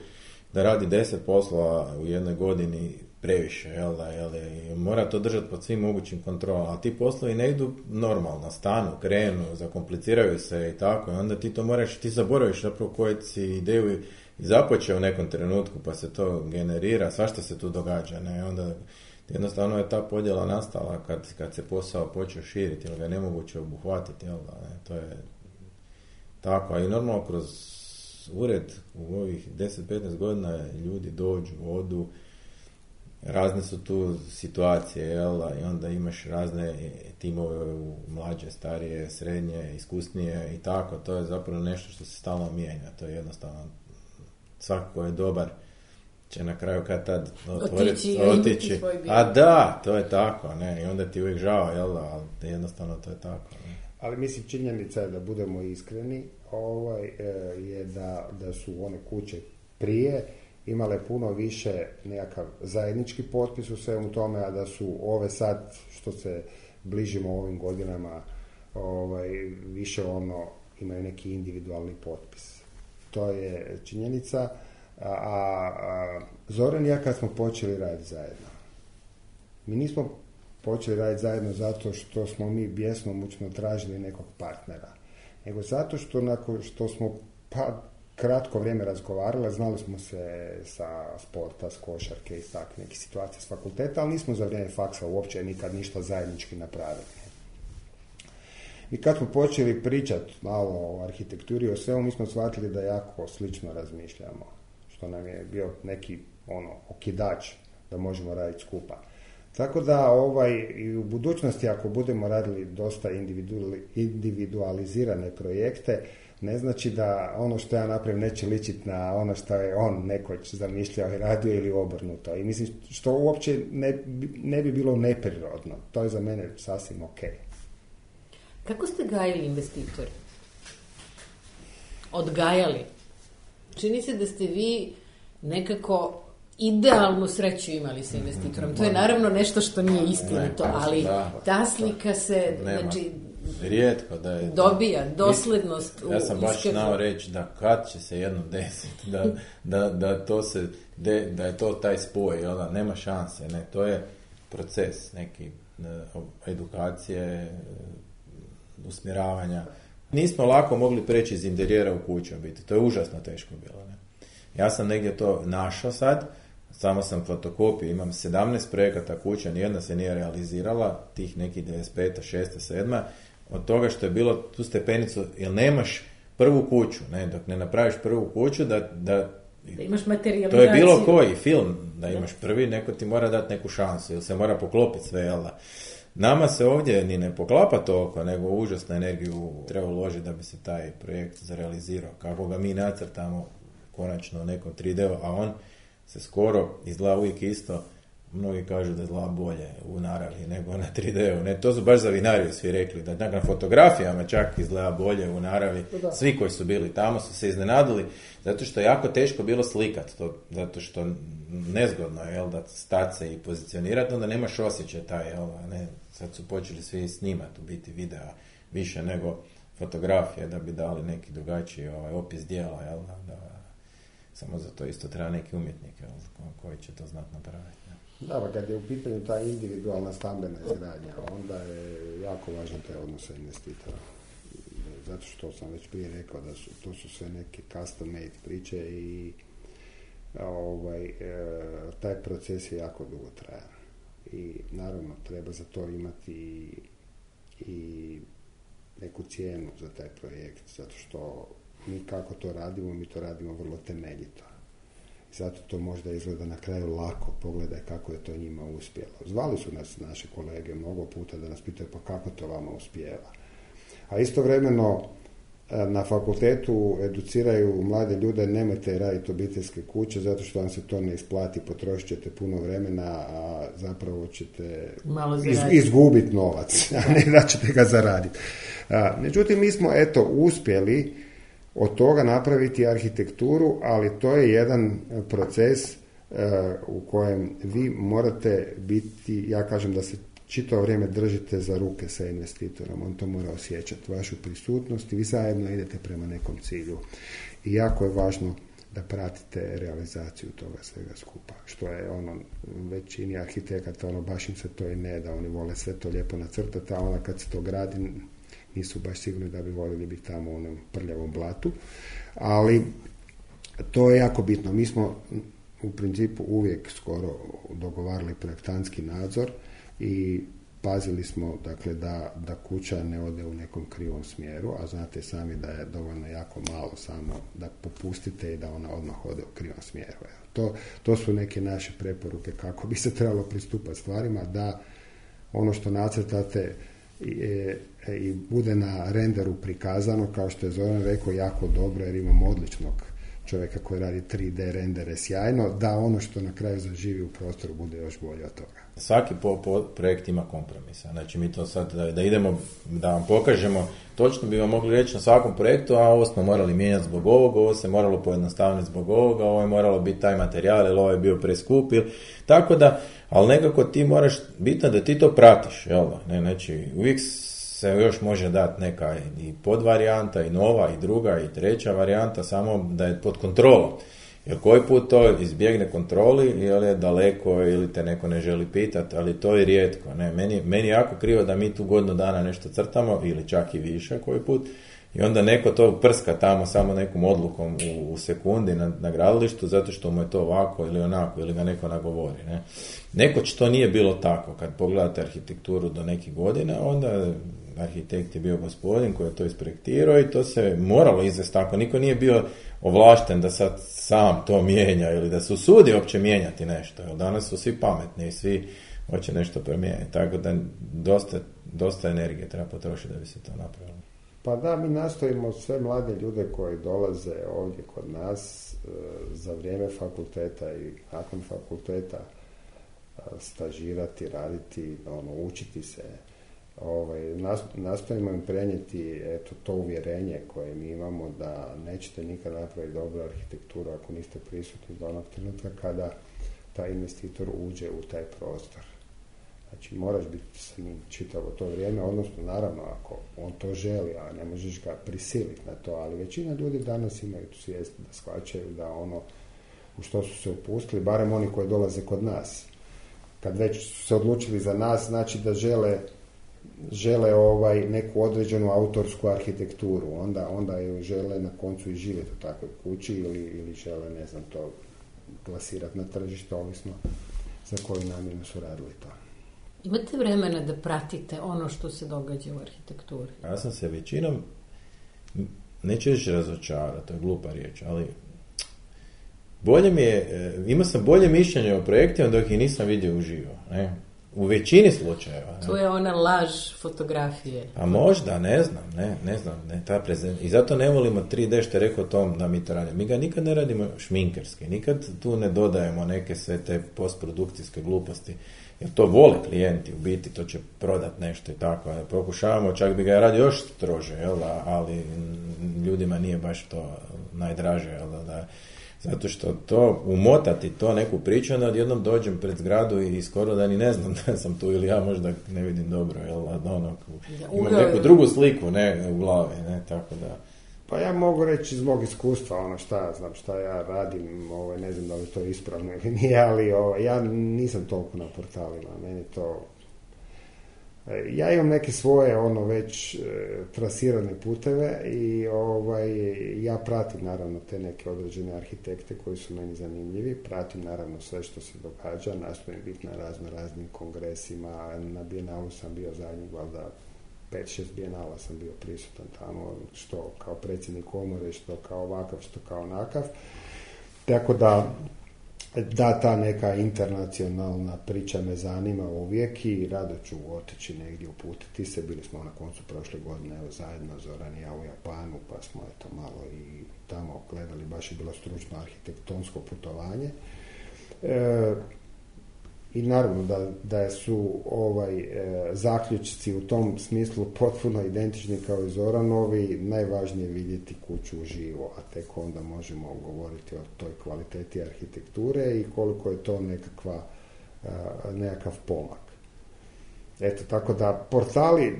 da radi deset poslova u jednoj godini previše, jel da, jel da, i mora to držati pod svim mogućim kontrolama, a ti poslovi ne idu normalno, stanu, krenu, zakompliciraju se i tako, i onda ti to moraš, ti zaboraviš zapravo koju si ideju započeo u nekom trenutku, pa se to generira, svašta se tu događa, ne, onda jednostavno je ta podjela nastala kad, kad se posao počeo širiti, jer ga je nemoguće obuhvatiti, jel da, ne, to je tako, a i normalno kroz ured u ovih deset do petnaest godina ljudi dođu, odu, razne su tu situacije, jel, i onda imaš razne timove u mlađe, starije, srednje, iskusnije i tako, to je zapravo nešto što se stalno mijenja, to je jednostavno, svako ko je dobar će na kraju kad tad otići, otići. A da, to je tako, ne, i onda ti uvijek žao, jel, ali jednostavno to je tako. Ne. Ali mislim, činjenica je da budemo iskreni, ovaj, je da, da su one kuće prije imale puno više nekakav zajednički potpis u svemu tome, a da su ove sad, što se bližimo ovim godinama, ovaj, više ono, imaju neki individualni potpis. To je činjenica. A, a Zoran i ja kad smo počeli raditi zajedno, mi nismo počeli raditi zajedno zato što smo mi bjesnomučno tražili nekog partnera, nego zato što nakon što smo pa kratko vrijeme razgovarali, znali smo se sa sporta, s košarke i tak neke situacije s fakulteta, ali nismo za vrijeme faksa uopće nikad ništa zajednički napravili. I kad smo počeli pričati malo o arhitekturi, o svemu, mi smo shvatili da jako slično razmišljamo, što nam je bio neki ono okidač da možemo raditi skupa. Tako da ovaj, i u budućnosti ako budemo radili dosta individualizirane projekte, ne znači da ono što ja napravim neće ličiti na ono što je on nekoć zamišljao i radio ili obrnuto. I mislim što uopće ne, ne bi bilo neprirodno. To je za mene sasvim ok. Kako ste gajili investitori? Odgajali? Čini se da ste vi nekako idealnu sreću imali sa investitorom. To je naravno nešto što nije istinito, ali ta slika se, znači, rijetko da je dobija doslednost u ja sam baš znao reći da kad će se jednom desiti da, da, da, to se de, da je to taj spoj, jel da, nema šanse, ne, to je proces neki edukacije, usmjeravanja. Nismo lako mogli preći iz interijera u kuću biti, to je užasno teško bilo, ne. Ja sam negdje to našao sad, samo sam fotokopiju, imam sedamnaest projekata kuća, nijedna se nije realizirala, tih nekih devedeset peta, šesta, sedma, od toga što je bilo tu stepenicu, jer nemaš prvu kuću, ne, dok ne napraviš prvu kuću, da, da, da imaš materijalizaciju. To je bilo koji film, da imaš prvi, neko ti mora dati neku šansu, ili se mora poklopiti sve, jel da. Nama se ovdje ni ne poklapa toliko, nego užasnu energiju treba uložiti da bi se taj projekt zarealizirao. Kako ga mi nacrtamo konačno u nekom tri D, a on se skoro izgleda uvijek isto. Mnogi kažu da izgleda bolje u naravi nego na tri D-u. Ne, to su baš za vinariju svi rekli, da na fotografijama čak izgleda bolje u naravi. Da. Svi koji su bili tamo su se iznenadili, zato što je jako teško bilo slikat to, zato što nezgodno je, jel, da stati se i pozicionirati, onda nemaš osjećaj taj, jel, ne, sad su počeli svi snimati u biti videa više nego fotografije da bi dali neki drugačiji ovaj, opis dijela, jel, da, samo za to isto treba neki umjetnik, jel, koji će to znati napraviti. Da, pa kad je u pitanju ta individualna stambena izgradnja, onda je jako važno taj odnos sa investitora. Zato što sam već prije rekao da su, to su sve neke custom made priče i ovaj, e, taj proces je jako dugo trajan. I naravno treba za to imati i, i neku cijenu za taj projekt, zato što mi kako to radimo, mi to radimo vrlo temeljito. i zato to možda izgleda na kraju lako, pogledaj kako je to njima uspjelo. Zvali su nas naše kolege mnogo puta da nas pitaju pa kako to vama uspijeva. A istovremeno na fakultetu educiraju mlade ljude, nemojte raditi obiteljske kuće zato što vam se to ne isplati, potrošit ćete puno vremena, a zapravo ćete iz, izgubiti novac, a ne da ćete ga zaraditi. A, međutim, mi smo eto uspjeli od toga napraviti arhitekturu, ali to je jedan proces uh, u kojem vi morate biti, ja kažem da se čitavo vrijeme držite za ruke sa investitorom, on to mora osjećati, vašu prisutnost i vi zajedno idete prema nekom cilju. I jako je važno da pratite realizaciju toga svega skupa, što je ono, većini arhitekata, ono, baš im se to i ne da, oni vole sve to lijepo nacrtati, a onda kad se to gradi, nisu baš sigurni da bi voljeli biti tamo u onom prljavom blatu, ali to je jako bitno. Mi smo u principu uvijek skoro dogovarali projektantski nadzor i pazili smo, dakle, da, da kuća ne ode u nekom krivom smjeru, a znate sami da je dovoljno jako malo samo da popustite i da ona odmah ode u krivom smjeru. To, to su neke naše preporuke kako bi se trebalo pristupati stvarima, da ono što nacrtate i, i bude na renderu prikazano, kao što je Zoran rekao, jako dobro, jer imamo odličnog čovjeka koji radi tri D rendere sjajno, da ono što na kraju zaživi u prostoru bude još bolje od toga. Svaki po, po, projekt ima kompromisa. Znači mi to sad da, da idemo, da vam pokažemo, točno bi vam mogli reći na svakom projektu, a ovo smo morali mijenjati zbog ovog, ovo se moralo pojednostaviti zbog ovoga, ovo je moralo biti taj materijal, ili ovo je bio preskup, ili tako da, ali nekako ti moraš, bitno da ti to pratiš, jel da? Ne, znači uvijek se još može dati neka i podvarijanta, i nova, i druga, i treća varijanta, samo da je pod kontrolom. Jer koji put to izbjegne kontroli, ili je daleko, ili te neko ne želi pitati, ali to je rijetko. Ne? Meni, meni je jako krivo da mi tu godinu dana nešto crtamo, ili čak i više koji put, i onda neko to prska tamo samo nekom odlukom u, u sekundi na, na gradilištu, zato što mu je to ovako ili onako, ili ga neko nagovori. Ne? Nekoć to nije bilo tako. Kad pogledate arhitekturu do nekih godina, onda arhitekt je bio gospodin koji je to isprojektirao i to se moralo izvesti tako. Niko nije bio ovlašten da sad sam to mijenja ili da se usudi uopće mijenjati nešto. Jer danas su svi pametni i svi hoće nešto promijeniti. Tako da dosta, dosta energije treba potrošiti da bi se to napravilo. Pa da, mi nastojimo sve mlade ljude koji dolaze ovdje kod nas za vrijeme fakulteta i nakon fakulteta stažirati, raditi, ono, učiti se. Ovaj, nastojimo im prenijeti eto, to uvjerenje koje mi imamo da nećete nikad napraviti dobru arhitekturu ako niste prisutni do onog trenutka kada taj investitor uđe u taj prostor. Znači, moraš biti sa njim čitavo to vrijeme, odnosno, naravno, ako on to želi, a ne možeš ga prisiliti na to, ali većina ljudi danas imaju tu svijest da shvaćaju da ono u što su se upustili, barem oni koji dolaze kod nas. Kad već su se odlučili za nas, znači da žele žele ovaj neku određenu autorsku arhitekturu, onda, onda ju žele na koncu i živjeti u takvoj kući ili, ili žele, ne znam, to plasirati na tržište, ovisno za koju namjenu su radili to. Imate vremena da pratite ono što se događa u arhitekturi? Ja sam se većinom, neću reći razočarao, to je glupa riječ, ali bolje mi je, imao sam bolje mišljenje o projektima dok ih nisam vidio uživo, ne? U većini slučajeva. To je ona laž fotografije. A možda, ne znam, ne, ne znam, ne, ta prezent. I zato ne volimo tri D što je rekao Tom da mi to radimo. Mi ga nikad ne radimo šminkerski, nikad tu ne dodajemo neke sve te postprodukcijske gluposti, jer to vole klijenti, u biti to će prodat nešto i tako. Pokušavamo, čak bi ga radio još strože, jel, ali ljudima nije baš to najdraže, jel, da zato što to, umotati to neku priču, onda odjednom dođem pred zgradu i skoro da ni ne znam da sam tu ili ja možda ne vidim dobro, jel, ono, imam neku drugu sliku, ne, u glavi, ne, tako da. Pa ja mogu reći iz mog iskustva, ono šta ja znam, šta ja radim, ovaj, ne znam da li to je ispravno ili nije, ali ovaj, ja nisam toliko na portalima, meni to. Ja imam neke svoje ono već e, trasirane puteve i ovaj, ja pratim naravno te neke određene arhitekte koji su meni zanimljivi, pratim naravno sve što se događa, nastojim biti na razno raznim kongresima, na Bijenalu sam bio zadnjih valjda pet šest Bijenala sam bio prisutan tamo, što kao predsjednik komore, što kao ovakav, što kao onakav, tako da da ta neka internacionalna priča me zanima uvijek i rado ću otići negdje uputiti se. Bili smo na koncu prošle godine evo, zajedno Zoran i ja u Japanu, pa smo eto malo i tamo gledali, baš je bilo stručno arhitektonsko putovanje. E, I naravno da, da su ovaj, e, zaključci u tom smislu potpuno identični kao i Zoranovi. Najvažnije je vidjeti kuću uživo, a tek onda možemo govoriti o toj kvaliteti arhitekture i koliko je to nekakva, e, nekakav pomak. Eto, tako da portali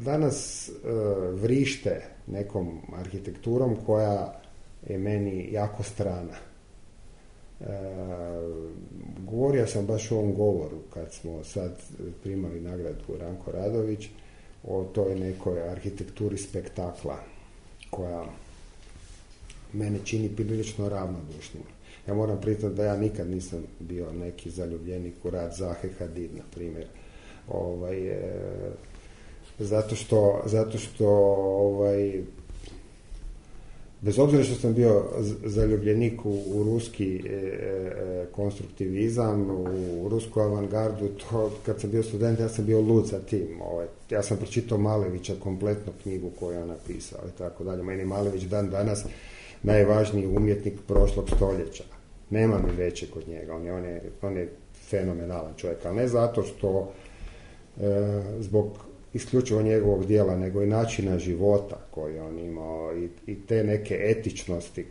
danas e, vrište nekom arhitekturom koja je meni jako strana. E, govorio sam baš u ovom govoru kad smo sad primali nagradu Ranko Radović o toj nekoj arhitekturi spektakla koja mene čini prilično ravnodušnim. Ja moram priznati da ja nikad nisam bio neki zaljubljenik u rad Zahe Hadid, na primjer. Ovaj, e, zato što, zato što ovaj, bez obzira što sam bio zaljubljenik u, u ruski e, e, konstruktivizam, u, u rusku avangardu, to kad sam bio student, ja sam bio lud za tim. Ovaj, ja sam pročitao Malevića kompletnu knjigu koju je on napisao i tako dalje. Meni Malević dan danas najvažniji umjetnik prošlog stoljeća. Nema mi veće kod njega. On je, on je, on je fenomenalan čovjek, ali ne zato što e, zbog isključivo njegovog dijela, nego i načina života koji on imao i, i te neke etičnosti.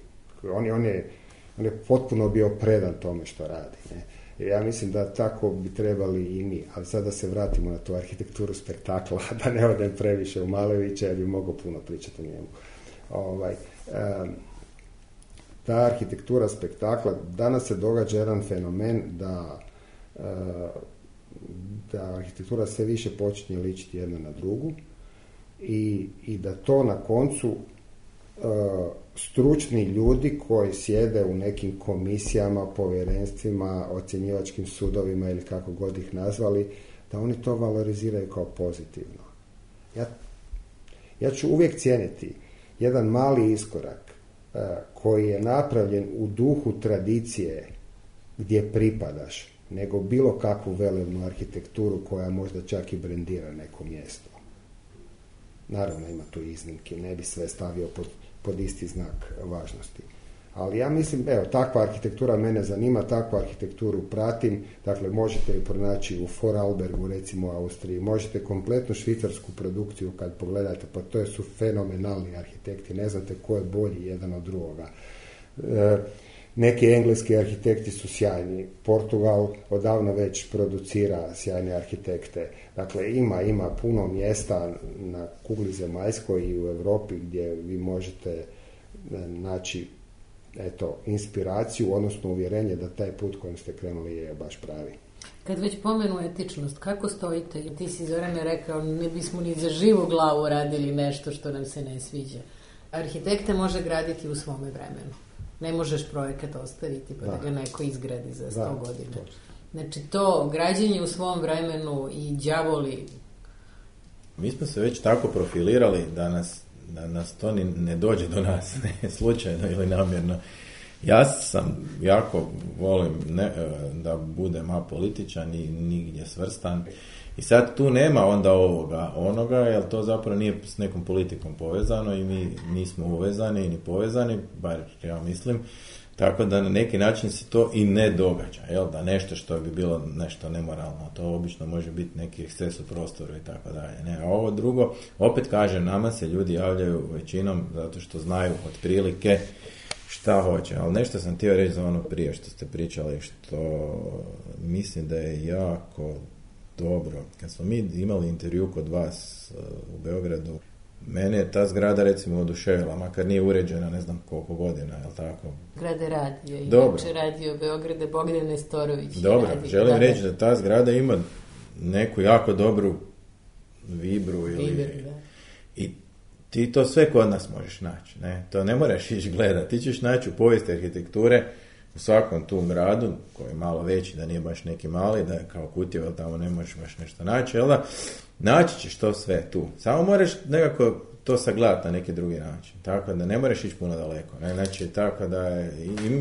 On je, on, je, on je potpuno bio predan tome što radi. Ne? I ja mislim da tako bi trebali i mi. Ali sad da se vratimo na tu arhitekturu spektakla, da ne odem previše u Malevića, ja bi mogao puno pričati o njemu. Ovaj, um, ta arhitektura spektakla, danas se događa jedan fenomen da uh, da arhitektura sve više počinje ličiti jedna na drugu i, i da to na koncu uh, stručni ljudi koji sjede u nekim komisijama, povjerenstvima, ocjenjivačkim sudovima ili kako god ih nazvali, da oni to valoriziraju kao pozitivno. Ja, ja ću uvijek cijeniti jedan mali iskorak uh, koji je napravljen u duhu tradicije gdje pripadaš, nego bilo kakvu velebnu arhitekturu koja možda čak i brendira neko mjesto. Naravno ima tu iznimke, ne bi sve stavio pod, pod isti znak važnosti. Ali ja mislim, evo, takva arhitektura mene zanima, takvu arhitekturu pratim, dakle možete ju pronaći u Vorarlbergu, recimo u Austriji, možete kompletnu švicarsku produkciju kad pogledate, pa to su fenomenalni arhitekti, ne znate ko je bolji jedan od drugoga. E, Neki engleski arhitekti su sjajni. Portugal odavno već producira sjajne arhitekte. Dakle, ima, ima puno mjesta na kugli zemaljskoj i u Europi gdje vi možete naći eto, inspiraciju, odnosno uvjerenje da taj put kojim ste krenuli je baš pravi. Kad već pomenu etičnost, kako stojite? Ti si, Zorane, rekao, ne bismo ni za živu glavu radili nešto što nam se ne sviđa. Arhitekte može graditi u svome vremenu. Ne možeš projekat ostaviti pa da, da ga neko izgradi za sto da, godina. To. Znači to građenje u svom vremenu i đavoli. Mi smo se već tako profilirali da nas, da nas to ni ne dođe do nas, ne slučajno ili namjerno. Ja sam jako volim ne, da budem apolitičan i nigdje svrstan. I sad tu nema onda ovoga, onoga, jer to zapravo nije s nekom politikom povezano i mi nismo uvezani ni povezani, bar ja mislim, tako da na neki način se to i ne događa, jel? Da nešto što bi bilo nešto nemoralno, to obično može biti neki eksces u prostoru i tako dalje. Ne, a ovo drugo, opet kažem, nama se ljudi javljaju većinom zato što znaju otprilike šta hoće, ali nešto sam htio reći za ono prije što ste pričali, što mislim da je jako dobro. Kad smo mi imali intervju kod vas u Beogradu, mene je ta zgrada recimo oduševila, makar nije uređena ne znam koliko godina, je li tako? Zgrade radio, inače radio Beograde Bogdan Nestorović. Dobro, radi, želim da, reći da ta zgrada ima neku jako dobru vibru ili... Vibru, da. I ti to sve kod nas možeš naći, ne? To ne moraš ići gledati, ti ćeš naći u povijesti arhitekture u svakom tu gradu, koji je malo veći, da nije baš neki mali, da je kao Kutjevo, ali tamo ne možeš baš nešto naći, jel da? Naći ćeš to sve tu. Samo moraš nekako to sagledati na neki drugi način. Tako da ne moraš ići puno daleko. Ne? Znači, tako da je,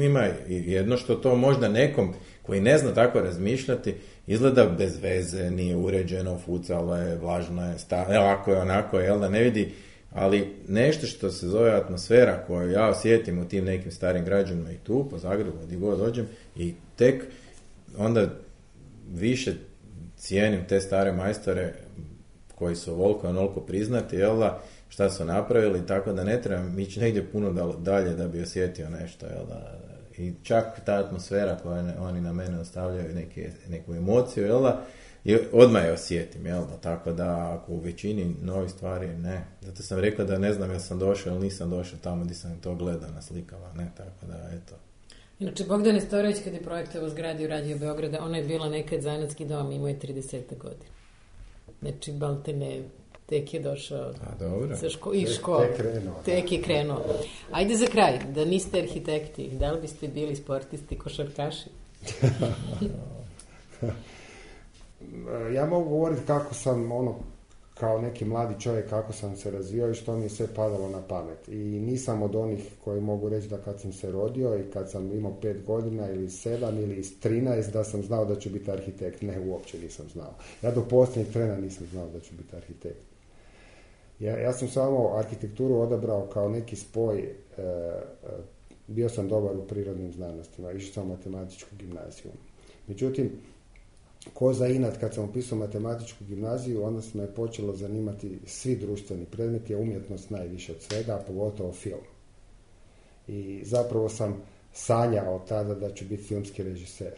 ima jedno što to možda nekom koji ne zna tako razmišljati, izgleda bez veze, nije uređeno, fucalo je, vlažno je, sta, ovako je, onako je, jel da ne vidi, ali nešto što se zove atmosfera koju ja osjetim u tim nekim starim građanima i tu, po Zagrebu, gdje god dođem, i tek onda više cijenim te stare majstore koji su ovoliko onoliko priznati, jel da, šta su napravili, tako da ne trebam ići negdje puno dalje da bi osjetio nešto, jel da, i čak ta atmosfera koju oni na mene ostavljaju neke, neku emociju, jel da, i odmah je osjetim, jel da, tako da ako u većini novih stvari ne, zato sam rekao da ne znam jel sam došao ili nisam došao tamo gdje sam to gledao na slikama, ne, tako da, eto. Inače, Bogdan Nestorović kad je projektovao zgradi u Radio Beograda, ona je bila nekad zanatski dom, imao je trideset godina. Znači, Baltene tek je došao sa ško- iz škole. Tek, tek, krenuo, tek je krenuo. Ajde za kraj, da niste arhitekti, da li biste bili sportisti, košarkaši? Ja mogu govoriti kako sam, ono, kao neki mladi čovjek, kako sam se razvijao i što mi je sve padalo na pamet. I nisam od onih koji mogu reći da kad sam se rodio i kad sam imao pet godina ili sedam ili trinaest da sam znao da ću biti arhitekt. Ne, uopće nisam znao. Ja do posljednjeg trena nisam znao da ću biti arhitekt. Ja, ja sam samo arhitekturu odabrao kao neki spoj, e, e, bio sam dobar u prirodnim znanostima, išao sam u matematičku gimnaziju. Međutim, ko za inat, kad sam upisao matematičku gimnaziju, onda se me počelo zanimati svi društveni predmeti, a umjetnost najviše od svega, a pogotovo film. I zapravo sam sanjao tada da ću biti filmski režiser.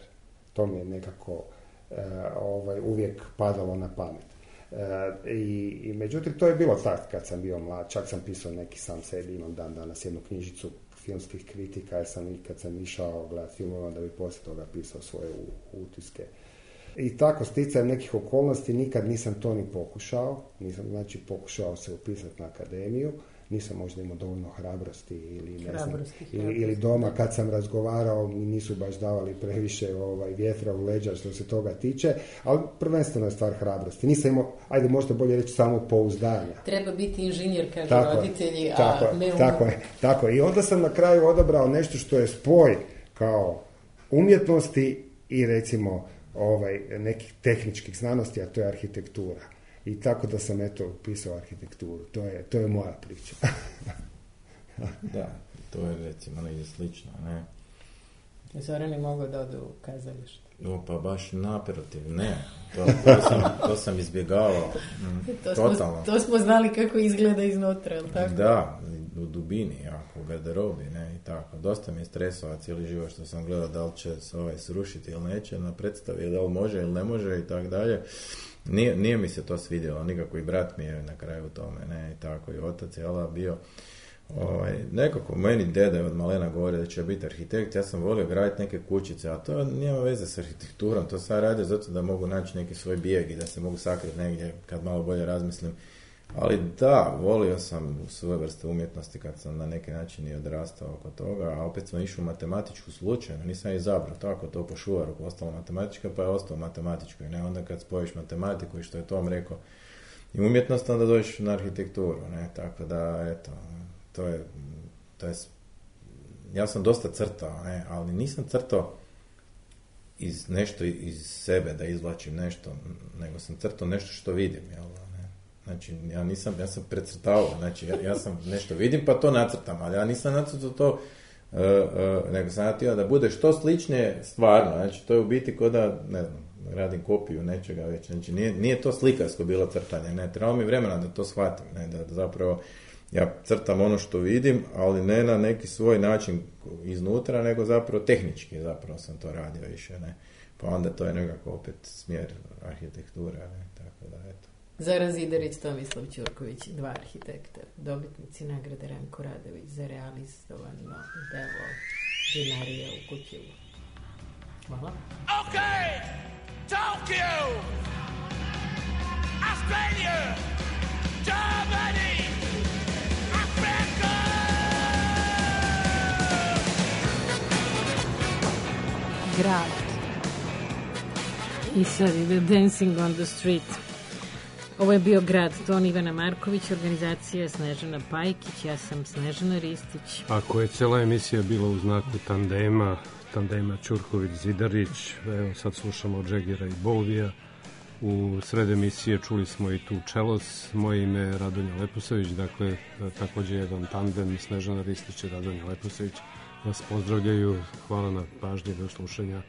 To mi je nekako e, ovaj, uvijek padalo na pamet. E, i, i međutim, to je bilo tad kad sam bio mlad, čak sam pisao neki sam sebi, imam dan danas jednu knjižicu filmskih kritika, jer sam i kad sam išao gledati filmova da bi poslije toga pisao svoje utiske. I tako, sticajem nekih okolnosti, nikad nisam to ni pokušao, nisam, znači pokušao se upisati na akademiju, nisam možda imao dovoljno hrabrosti ili ne hrabrosti, znam, hrabrosti. Ili, ili doma kad sam razgovarao mi nisu baš davali previše ovaj, vjetra u leđa što se toga tiče, ali prvenstveno je stvar hrabrosti. Nisam imao, ajde možda bolje reći, samo pouzdanja. Treba biti inženjer, kažu tako roditelji, je, a tako ne je, um... tako je, tako je. I onda sam na kraju odabrao nešto što je spoj kao umjetnosti i recimo ovaj, nekih tehničkih znanosti, a to je arhitektura. I tako da sam eto upisao arhitekturu. To je, to je moja priča. Da, to je recimo negdje slično, ne? Zoran je mogao da ode u kazalište. O, pa baš naprotiv, ne. To, to, sam, to sam izbjegavao. To Totalno. Smo, to smo znali kako izgleda iznutra, jel tako? Da, u dubini, jako, u garderobi, ne, i tako. Dosta mi je stresova cijeli život što sam gledao da li će se ovaj srušiti ili neće na predstavi, da li može ili ne može i tako dalje. Nije, nije mi se to svidjelo, nikako i brat mi je na kraju u tome, ne, i tako, i otac je ala bio. Ovaj, nekako meni deda je od malena govorio da će biti arhitekt, ja sam volio graditi neke kućice, a to nema veze s arhitekturom, to sad radio zato da mogu naći neki svoj bijeg i da se mogu sakriti negdje kad malo bolje razmislim. Ali da, volio sam svoje vrste umjetnosti kad sam na neki način i odrastao oko toga, a opet sam išao u matematičku slučajno, nisam izabrao tako to po šuvaru, ostalo matematička pa je ostao matematičko i ne onda kad spojiš matematiku i što je Tom rekao i umjetnost, onda dođeš na arhitekturu, ne, tako da, eto, to je, to je, ja sam dosta crtao, ne, ali nisam crtao iz nešto iz sebe da izvlačim nešto, nego sam crtao nešto što vidim, jel? Znači, ja nisam, ja sam precrtavao, znači, ja, ja sam nešto vidim pa to nacrtam, ali ja nisam nacrtao to, uh, uh, nego sam natio da bude što sličnije stvarno, znači, to je u biti ko da, ne znam, radim kopiju nečega već, znači, nije, nije to slikarsko bilo crtanje, ne, trebalo mi vremena da to shvatim, ne, da, da zapravo ja crtam ono što vidim, ali ne na neki svoj način iznutra, nego zapravo tehnički, zapravo sam to radio više, ne, pa onda to je nekako opet smjer arhitekture, ne, tako da, eto. Zoran Zidarić, Tomislav Ćurković, dva arhitekta, dobitnici nagrade Ranko Radović za realizovano delo Vinarija u Kućevu. Hvala. Ok, Tokyo, Australia, Germany, Africa. Grad. I sad ide Dancing on the Street. Ovo je bio Grad ton Ivana Marković, organizacija Snežana Pajkić, ja sam Snežana Ristić. Ako je cela emisija bila u znaku tandema, tandema Ćurković-Zidarić, evo sad slušamo Džegera i Bovija. U sred emisije čuli smo i tu Čelos, moje ime je Radonja Leposavić, dakle takođe jedan tandem Snežana Ristić i Radonja Leposavić vas pozdravljaju, hvala na pažnji, do slušanja.